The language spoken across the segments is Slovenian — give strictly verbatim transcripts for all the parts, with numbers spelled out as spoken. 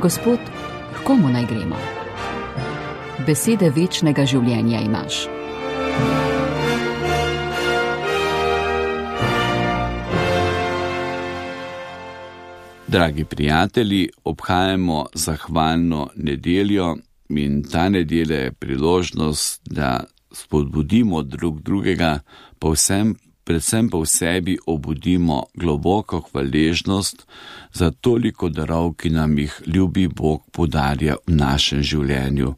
Gospod, k komu naj gremo? Besede večnega življenja imaš. Dragi prijatelji, obhajamo zahvalno nedeljo in ta nedelja je priložnost, da spodbudimo drug drugega, povsem, predvsem pa v sebi obudimo globoko hvaležnost za toliko darov, ki nam jih ljubi Bog podarja v našem življenju.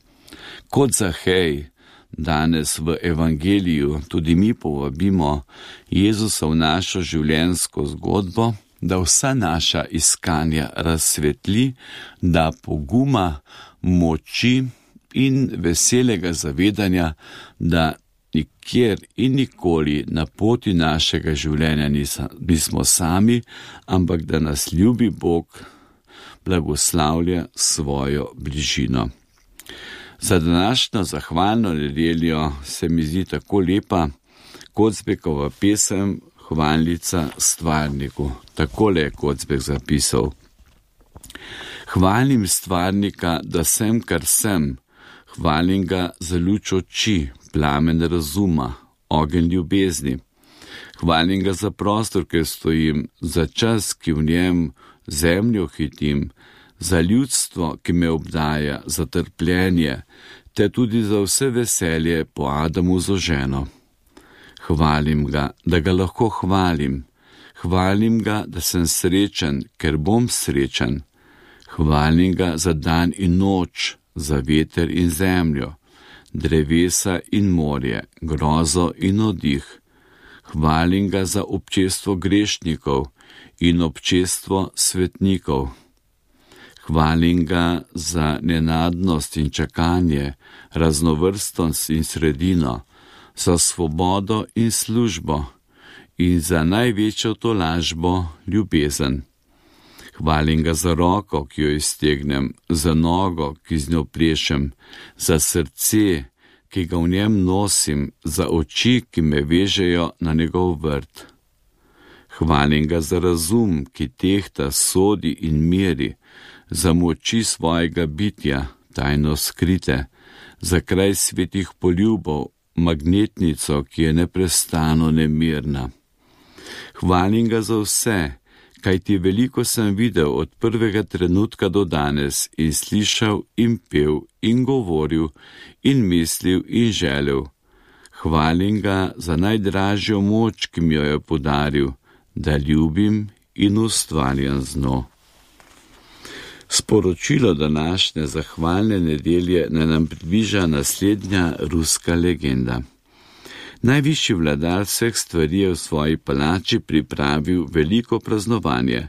Kot Zahej danes v evangeliju tudi mi povabimo Jezusa v našo življenjsko zgodbo, da vsa naša iskanja razsvetli, da poguma, moči in veselega zavedanja, da nikjer in nikoli na poti našega življenja nismo sami, ampak da nas ljubi Bog blagoslavlja svojo bližino. Za današnjo zahvalno nedeljo se mi zdi tako lepa Kocbekova pesem Hvalnica stvarniku. Takole je Kocbek zapisal: Hvalim stvarnika, da sem, kar sem, hvalim ga za luč oči, plamen razuma, ogenj ljubezni. Hvalim ga za prostor, kjer stojim, za čas, ki v njem zemljo hitim, za ljudstvo, ki me obdaja, za trpljenje, te tudi za vse veselje po Adamu zoženo. Hvalim ga, da ga lahko hvalim, hvalim ga, da sem srečen, ker bom srečen. Hvalim ga za dan in noč, za veter in zemljo, drevesa in morje, grozo in oddih. Hvalim ga za občestvo grešnikov in občestvo svetnikov. Hvalim ga za nenadnost in čakanje, raznovrstnost in sredino, za svobodo in službo in za največjo tolažbo ljubezen. Hvalim ga za roko, ki jo iztegnem, za nogo, ki z njo plešem, za srce, ki ga v njem nosim, za oči, ki me vežejo na njegov vrt. Hvalim ga za razum, ki tehta, sodi in meri, za moči svojega bitja, tajno skrite, za kraj svetih poljubov, magnetnico, ki je neprestano nemirna. Hvalim ga za vse, kajti veliko sem videl od prvega trenutka do danes in slišal in pel in govoril in mislil in želel. Hvalim ga za najdražjo moč, ki mi jo je podaril, da ljubim in ustvarjam z njo. Sporočilo današnje zahvalne nedelje naj nam približa naslednja ruska legenda. Najvišji vladar vseh stvari je v svoji palači pripravil veliko praznovanje.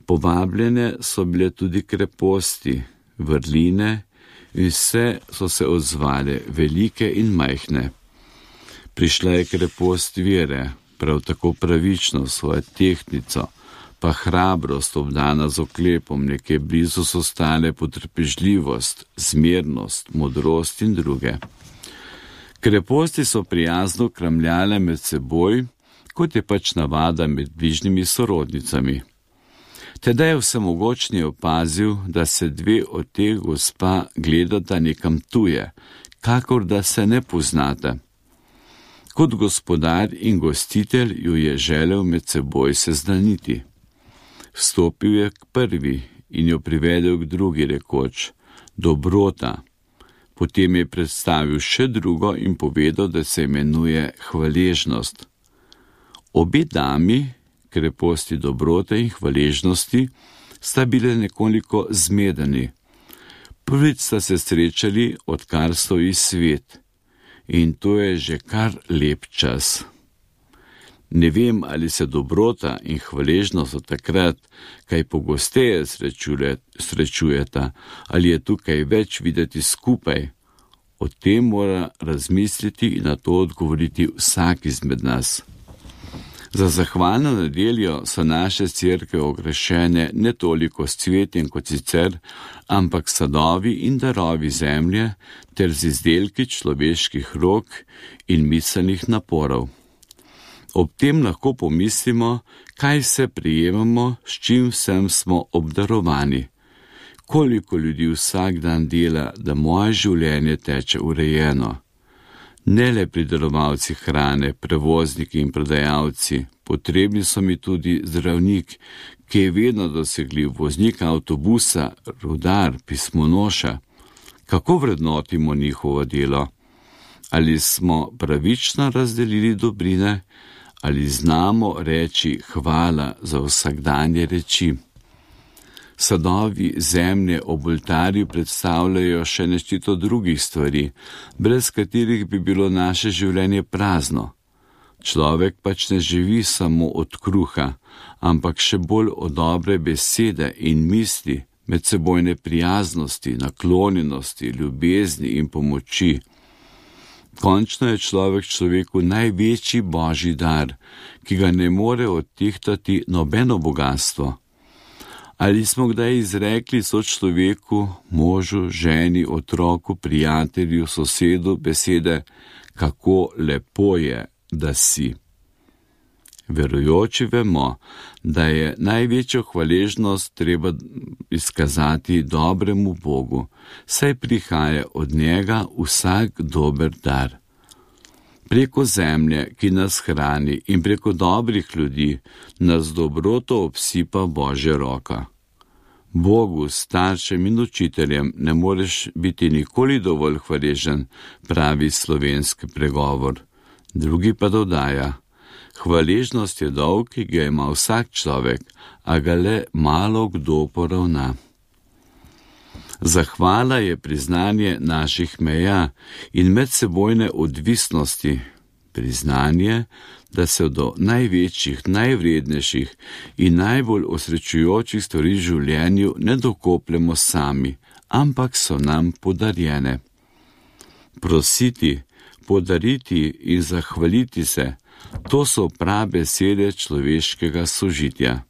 Povabljene so bile tudi kreposti, vrline in vse so se odzvale, velike in majhne. Prišla je krepost vere, prav tako pravično svojo tehtnico, pa hrabrost obdana z oklepom, nekje blizu so stale potrpežljivost, zmernost, modrost in druge. Kreposti so prijazno kramljale med seboj, kot je pač navada med bližnjimi sorodnicami. Tedaj je vsemogočni opazil, da se dve od teh gospa gledata nekam tuje, kakor da se ne poznata. Kot gospodar in gostitelj ju je želel med seboj seznaniti. Vstopil je k prvi in jo privedel k drugi, rekoč: Dobrota. Potem je predstavil še drugo in povedal, da se imenuje Hvaležnost. Obe dami, kreposti dobrote in hvaležnosti, sta bile nekoliko zmedeni. Prvič sta se srečali, odkar stoji svet, in to je že kar lep čas. Ne vem, ali se dobrota in hvaležnost od takrat kaj pogosteje srečujeta, ali je tukaj več videti skupaj. O tem mora razmisliti in na to odgovoriti vsak izmed nas. Za zahvalno nedeljo so naše cerkve okrašene ne toliko s cvetjem kot sicer, ampak sadovi in darovi zemlje ter z izdelki človeških rok in miselnih naporov. Ob tem lahko pomislimo, kaj vse prejemamo, s čim vsem smo obdarovani. Koliko ljudi vsak dan dela, da moje življenje teče urejeno. Ne le pridelovalci hrane, prevozniki in prodajalci, potrebni so mi tudi zdravnik, ki je vedno dosegljiv, voznik avtobusa, rudar, pismonoša. Kako vrednotimo njihovo delo? Ali smo pravično razdelili dobrine, ali znamo reči hvala za vsakdanje reči? Sadovi zemlje ob oltarju predstavljajo še nešteto drugih stvari, brez katerih bi bilo naše življenje prazno. Človek pač ne živi samo od kruha, ampak še bolj od dobre besede in misli, medsebojne prijaznosti, naklonjenosti, ljubezni in pomoči. Končno je človek človeku največji božji dar, ki ga ne more odtehtati nobeno bogastvo. Ali smo kdaj izrekli sočloveku, možu, ženi, otroku, prijatelju, sosedu besede, kako lepo je, da si? Verujoči vemo, da je največjo hvaležnost treba izkazati dobremu Bogu, saj prihaja od njega vsak dober dar. Preko zemlje, ki nas hrani, in preko dobrih ljudi nas dobroto obsipa Božja roka. Bogu, staršem in učiteljem ne moreš biti nikoli dovolj hvaležen, pravi slovenski pregovor. Drugi pa dodaja: hvaležnost je dolg, ki ga ima vsak človek, a ga le malo kdo poravna. Zahvala je priznanje naših meja in medsebojne odvisnosti, priznanje, da se do največjih, najvrednejših in najbolj osrečujočih stvari v življenju ne dokopljemo sami, ampak so nam podarjene. Prositi, podariti in zahvaliti se, to so prave besede človeškega sožitja.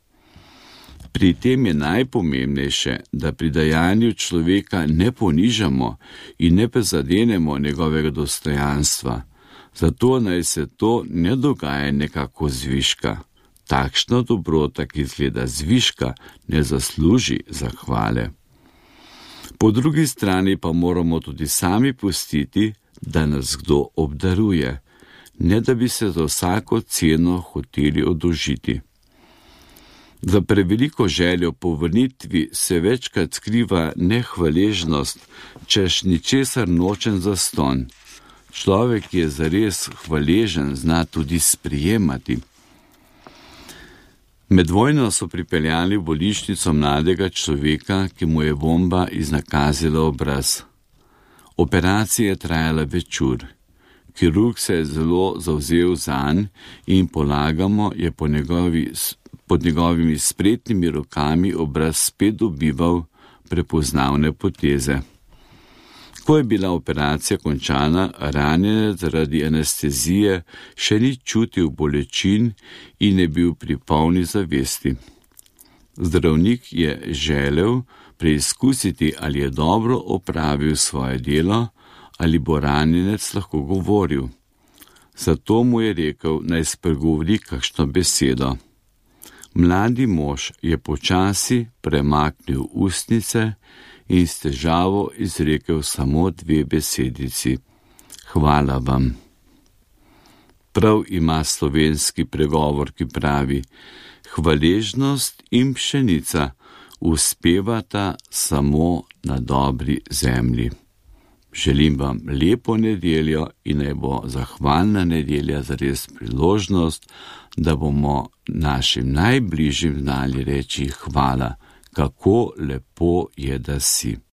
Pri tem je najpomembnejše, da pri dajanju človeka ne ponižamo in ne prezadenemo njegovega dostojanstva. Zato naj se to ne dogaja nekako zviška. Takšna dobrota, ki izgleda zviška, ne zasluži zahvale. Po drugi strani pa moramo tudi sami pustiti, da nas kdo obdaruje, ne da bi se za vsako ceno hoteli oddolžiti. Za preveliko željo po vrnitvi se večkrat skriva nehvaležnost, češ ničesar nočen zastonj. Človek, ki je zares hvaležen, zna tudi sprijemati. Med vojno so pripeljali v bolnišnico mladega človeka, ki mu je bomba iznakazila obraz. Operacija je trajala več ur. Kirurg se je zelo zavzel zanj in polagamo je po njegovi, pod njegovimi spretnimi rokami obraz spet dobival prepoznavne poteze. Ko je bila operacija končana, ranjenec zaradi anestezije še ni čutil bolečin in je bil pri polni zavesti. Zdravnik je želel preizkusiti, ali je dobro opravil svoje delo, ali bo ranjenec lahko govoril. Zato mu je rekel, naj spregovori kakšno besedo. Mladi mož je počasi premaknil ustnice in s težavo izrekel samo dve besedici. Hvala vam. Prav ima slovenski pregovor, ki pravi: hvaležnost in pšenica uspevata samo na dobri zemlji. Želim vam lepo nedeljo in naj bo zahvalna nedelja zares priložnost, da bomo našim najbližjim znali reči hvala, kako lepo je, da si.